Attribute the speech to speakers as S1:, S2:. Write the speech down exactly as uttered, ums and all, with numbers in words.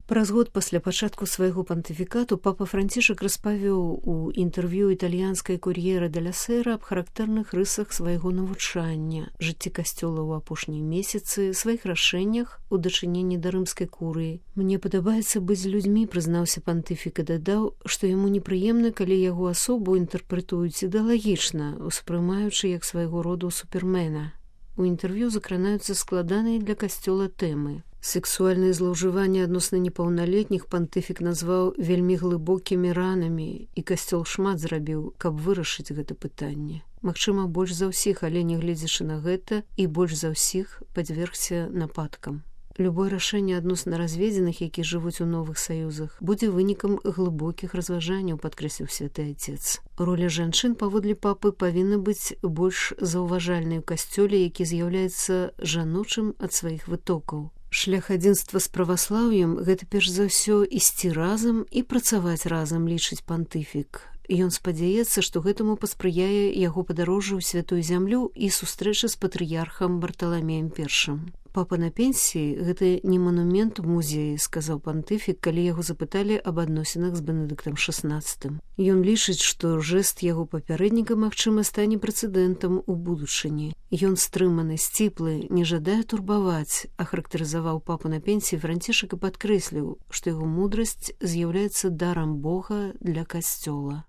S1: Праз год пасля пачатку свайго пантыфікату папа Францішак распавёў у інтэрв'ю італьянскай кур'ера де ля Сера аб характэрных рысах свайго навучання, жыцці касцёла ў апошнія месяцы, сваіх рашэннях у дачыненні да рымскай курыі. «Мне падабаецца быць з людзьмі», прызнаўся пантыфік і дадаў, што яму непрыемна, калі яго асобу інтэрпрэтуюць ідэалагічна, успрымаючы як свайго роду супермена. У інтэрв'ю закранаюцца складаныя для касцёла тэмы. Сексуальныя злоўжыванні адносна непаўналетніх пантыфік назваў вельмі глыбокімі ранамі, і касцёл шмат зрабіў, каб вырашыць гэта пытанне. Магчыма, больш за ўсіх, але нягледзячы на гэта, і больш за ўсіх падвергся нападкам. Любое рашэнне адносна разведзеных, які жывуць у новых саюзах, будзе вынікам глыбокіх разважанняў, падкрэсліў святы отец. Роля жанчын, паводле папы, павінна быць больш заўважальнай у касцёле, які з'яўляецца жаночым ад сваіх вытокаў. Шлях адзінства з праваслаўем – гэта перш за ўсё ісці разам і працаваць разам, лічыць пантыфік. Ён спадзяецца, што гэтаму паспрыяе яго падарожжа ў святую зямлю і сустрэча з патрыярхам Барталамеем першым. «Папа на пенсіі – гэта не манумент у музеі», – сказаў пантыфік, калі яго запыталі аб адносінах з Бенедыктам шаснаццатым. Ён лічыць, што жэст яго папярэдніка, магчыма, стане прэцэдэнтам у будучыні. Ён стрыманы, сціплы, не жадае турбаваць, ахарактарызаваў папу на пенсіі Францішак і падкрэсліў, што яго мудрасць з'яўляецца дарам Бога для касцёла.